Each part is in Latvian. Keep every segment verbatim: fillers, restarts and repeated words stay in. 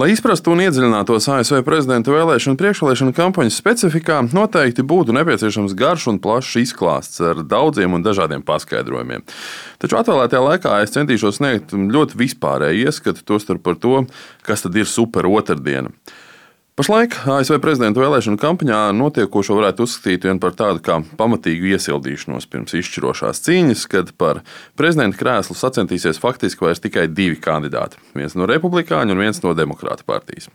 Lai izprastu un iedziļinātos A S V prezidenta vēlēšanu priekšvēlēšanu kampaņas specifikā, noteikti būtu nepieciešams garš un plašs izklāsts ar daudziem un dažādiem paskaidrojumiem. Taču atvēlētajā laikā es centīšos sniegt ļoti vispārēju ieskatu, tostarp par to, kas tad ir super otrdiena. Pašlaik A S V prezidenta vēlēšanu kampaņā notiekošo varētu uzskatīt vien par tādu kā pamatīgu iesildīšanos pirms izšķirošās cīņas, kad par prezidenta krēslu sacentīsies faktiski vairs tikai divi kandidāti – viens no republikāņu un viens no demokrātu partijas.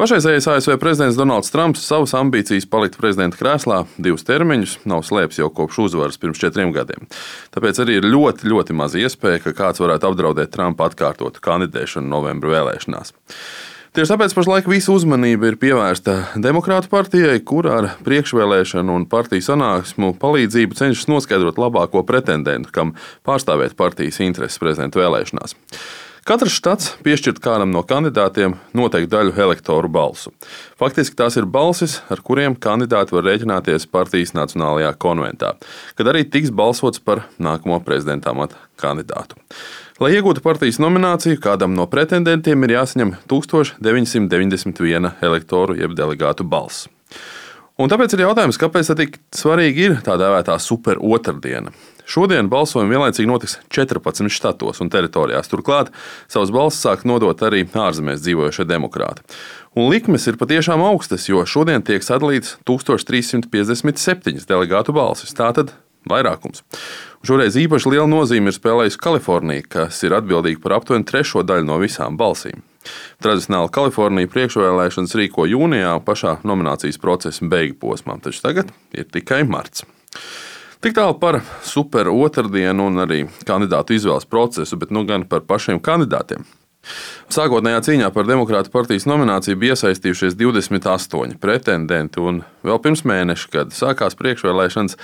Pašreizējais A S V prezidents Donalds Trumps savas ambīcijas palikt prezidenta krēslā divus termiņus nav slēpis jau kopš uzvaras pirms četriem gadiem. Tāpēc arī ir ļoti, ļoti maz iespēja, ka kāds varētu apdraudēt Trumpa atkārtotu kandidēšanu novembra vēlēšanās. Tieši tāpēc pašlaik visa uzmanība ir pievērsta Demokrātu partijai, kur ar priekšvēlēšanu un partiju sanāksmu palīdzību cenšas noskaidrot labāko pretendentu, kam pārstāvēt partijas intereses prezidenta vēlēšanās. Katrs štats piešķirt kādam no kandidātiem noteiktu daļu elektoru balsu. Faktiski tās ir balsis, ar kuriem kandidāti var rēķināties partijas Nacionālajā konventā, kad arī tiks balsots par nākamo prezidenta amata kandidātu. Lai iegūtu partijas nomināciju, kādam no pretendentiem ir jāsaņem tūkstoš deviņsimt deviņdesmit viena elektoru jeb delegātu balss. Un tāpēc ir jautājums, kāpēc tik svarīgi ir tā dēvētā super otrdiena. Šodien balsojumi vienlaicīgi notiks četrpadsmit štatos un teritorijās. Turklāt savas balsis sāk nodot arī ārzemēs dzīvojošie demokrāti. Un likmes ir patiešām augstas, jo šodien tiek sadalīts tūkstoš trīssimt piecdesmit septiņas delegātu balsis. Tātad vairākums. Šoreiz īpaši liela nozīme ir spēlējusi Kalifornija, kas ir atbildīga par aptuveni trešo daļu no visām balsīm. Tradicionāli Kalifornija priekšvēlēšanas rīko jūnijā pašā nominācijas procesa beigu posmā, taču tagad ir tikai marts. Tik tālu par super otrdienu un arī kandidātu izvēles procesu, bet nu gan par pašiem kandidātiem. Sākotnējā cīņā par Demokrātu partijas nomināciju bija iesaistījušies divdesmit astoņi pretendenti, un vēl pirms mēneša, kad sākās priekšvēlēšanas,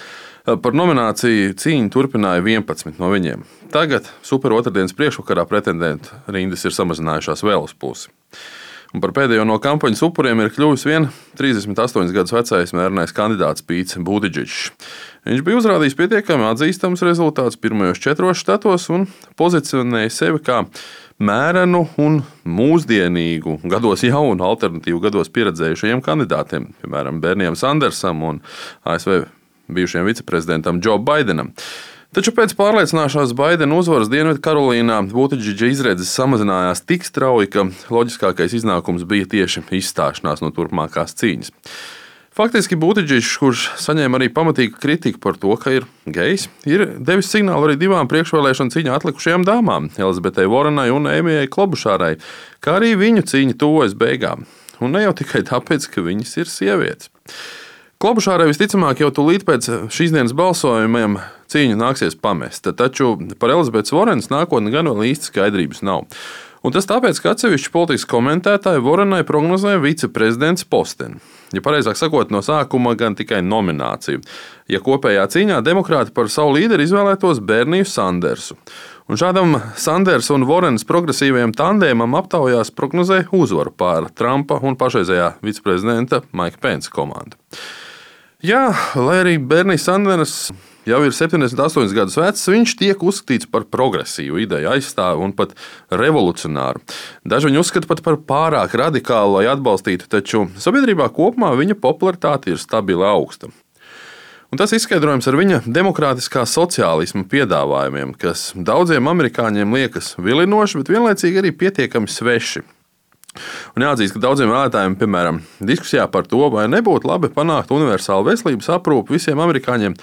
par nomināciju cīņu turpināja vienpadsmit no viņiem. Tagad super otrdienas priekšvakarā pretendentu rindas ir samazinājušās vēl uz pusi. Un par pēdējo no kampaņas upuriem ir kļuvis vien trīsdesmit astoņus gadus vecais mērnais kandidāts Pīts Butidžičs. Viņš bija uzrādījis pietiekami atzīstams rezultāts pirmajos četros štatos un pozicionēja sevi kā mērenu un mūsdienīgu, gados jaunu, alternatīvu gados pieredzējušajiem kandidātiem, piemēram, Bernijam Sandersam un A S V bijušajam viceprezidentam Džo Baidenam. Taču pēc pārliecināšanās Baidena uzvaras Dienvidkarolīnā Butidžiča izredzes samazinājās tik strauji, ka loģiskākais iznākums bija tieši izstāšanās no turpmākās cīņas. Faktiski Butidžičs, kurš saņēma arī pamatīgu kritiku par to, ka ir gejs, ir devis signālu arī divām priekšvēlēšanu cīņā atlikušajām dāmām – Elizabetei Vorenai un Ēmijai Klobušārai, kā arī viņu cīņa tuvojas beigām. Un ne jau tikai tāpēc, ka viņas ir sievietes. Klobušārai visticamāk jau tūlīt pēc šīs dienas balsojumiem cīņu nāksies pamest, taču par Elizabetes Vorenas nākotni gan vēl īsti skaidrības nav. Un tas tāpēc, ka atsevišķi politikas komentētāji Vorenai prognozēja viceprezidents posteni. Ja pareizāk sakot, no sākuma gan tikai nomināciju. Ja kopējā cīņā demokrāti par savu līderi izvēlētos Berniju Sandersu. Un šādam Sanders un Vorenas progresīvajam tandēmam aptaujās prognozēja uzvaru pār Trumpa un pašreizējā viceprezidenta Maika Pensa komandu. Jā, lai arī Bernijs Sanders jau ir septiņdesmit astoņus gadus vecs, viņš tiek uzskatīts par progresīvu ideju aizstāvu un pat revolucionāru. Daži viņu uzskata pat par pārāk radikālu, lai atbalstītu, taču sabiedrībā kopumā viņa popularitāte ir stabili augsta. Un tas izskaidrojams ar viņa demokrātiskā sociālisma piedāvājumiem, kas daudziem amerikāņiem liekas vilinoši, bet vienlaicīgi arī pietiekami sveši. Un jāatzīst, ka daudziem vēlētājiem, piemēram, diskusijā par to, vai nebūtu labi panākt universālu veselības aprūpi visiem amerikāņiem,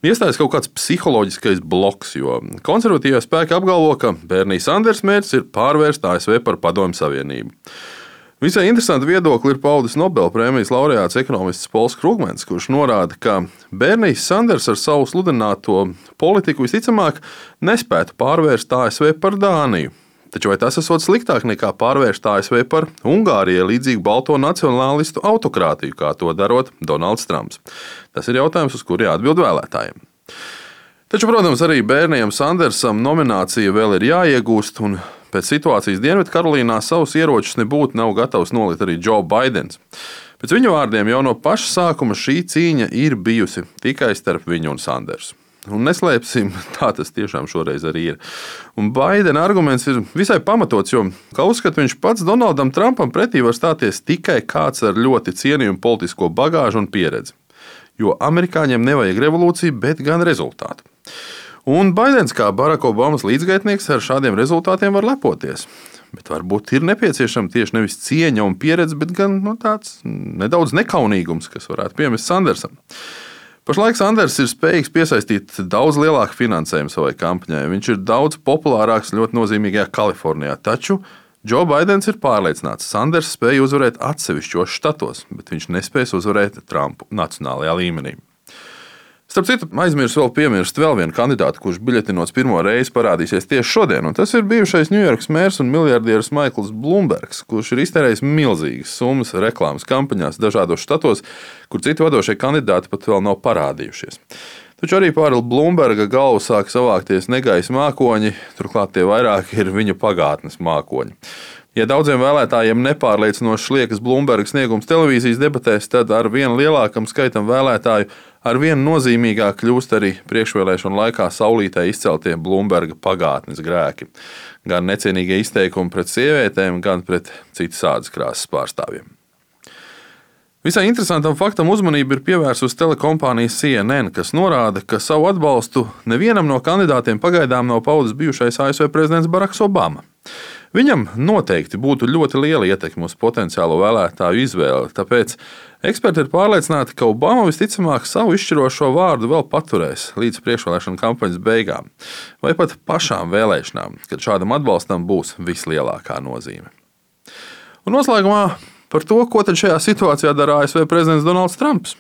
iestājas kaut kāds psiholoģiskais bloks, jo konservatīvie spēki apgalvo, ka Bernijs Sanders mērķis ir pārvērst A S V par Padomju Savienību. Visai interesanti viedokli ir paudis Nobelprēmijas laureāts ekonomists Pols Krugmans, kurš norāda, ka Bernijs Sanders ar savu sludināto politiku visticamāk nespētu pārvērst A S V par Dāniju. Taču vai tas esot sliktāk nekā pārvērst A S V par Ungārijai līdzīgu balto nacionālistu autokrātiju, kā to darot Donalds Trumps? Tas ir jautājums, uz kuru jāatbild vēlētājiem. Taču, protams, arī Bernijam Sandersam nominācija vēl ir jāiegūst, un pēc situācijas Dienvidkarolīnā savus ieročus nebūtu nav gatavs nolikt arī Džo Baidens. Pēc viņa vārdiem jau no paša sākuma šī cīņa ir bijusi tikai starp viņu un Sandersu. Un neslēpsim, tā tas tiešām šoreiz arī ir. Un Baidena arguments ir visai pamatots, jo, kā uzskata viņš pats, Donaldam Trumpam pretī var stāties tikai kāds ar ļoti cienījumu politisko bagāžu un pieredzi. Jo amerikāņiem nevajag revolūciju, bet gan rezultātu. Un Baidens, kā Baraka Obamas līdzgaitnieks, ar šādiem rezultātiem var lepoties. Bet varbūt ir nepieciešama tieši nevis cieņa un pieredze, bet gan no tāds nedaudz nekaunīgums, kas varētu piemest Sandersam. Pašlaik Sanders ir spējīgs piesaistīt daudz lielāku finansējumu savai kampaņai. Viņš ir daudz populārāks ļoti nozīmīgajā Kalifornijā. Taču Džo Baidens ir pārliecināts, ka Sanders spēja uzvarēt atsevišķos štatos, bet viņš nespēs uzvarēt Trumpu nacionālajā līmenī. Starp citu, aizmirsu vēl piemirst vēl vienu kandidātu, kurš biļetinos pirmo reizi parādīsies tieši šodien, un tas ir bijušais Ņujorkas mērs un miljardieris Maikls Blumbergs, kurš ir iztērējis milzīgas summas reklāmas kampaņās dažādos štatos, kur citi vadošie kandidāti pat vēl nav parādījušies. Taču arī pāri Blumberga galvu sāk savākties negaisa mākoņi, turklāt tie vairāk ir viņa pagātnes mākoņi. Ja daudziem vēlētājiem nepārliecinoši liekas Blumberga sniegums televīzijas debatēs, tad ar vien lielākam skaitam vēlētāju ar vien nozīmīgāk kļūst arī priekšvēlēšanu laikā saulītē izceltie Blumberga pagātnes grēki. Gan necienīgie izteikumi pret sievietēm, gan pret citas ādas krāsas pārstāvjiem. Visai interesantam faktam uzmanību ir pievērsusi telekompānija C N N, kas norāda, ka savu atbalstu nevienam no kandidātiem pagaidām nav paudis bijušais A S V prezidents Baraks Obama. Viņam noteikti būtu ļoti liela ietekme uz potenciālo vēlētāju izvēli, tāpēc eksperti ir pārliecināti, ka Obama visticamāk savu izšķirošo vārdu vēl paturēs līdz priekšvēlēšanu kampaņas beigām, vai pat pašām vēlēšanām, kad šādam atbalstam būs vislielākā nozīme. Un noslēgumā par to, ko tad šajā situācijā dara A S V prezidents Donalds Trumps.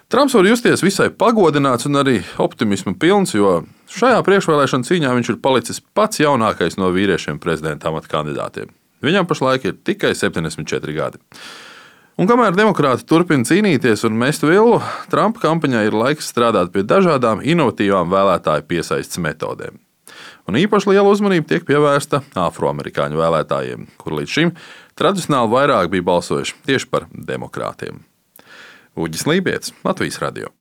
Trumps var justies visai pagodināts un arī optimisma pilns, jo šajā priekšvēlēšana cīņā viņš ir palicis pats jaunākais no vīriešiem prezidenta amata kandidātiem. Viņam pašlaik ir tikai septiņdesmit četri gadi. Un kamēr demokrāti turpina cīnīties un mest vilnu, Trumpa kampaņai ir laiks strādāt pie dažādām inovatīvām vēlētāju piesaistes metodēm. Un īpaši liela uzmanība tiek pievērsta afroamerikāņu vēlētājiem, kur līdz šim tradicionāli vairāk bija balsojuši tieši par demokrātiem. Uģis Lībietis, Latvijas radio.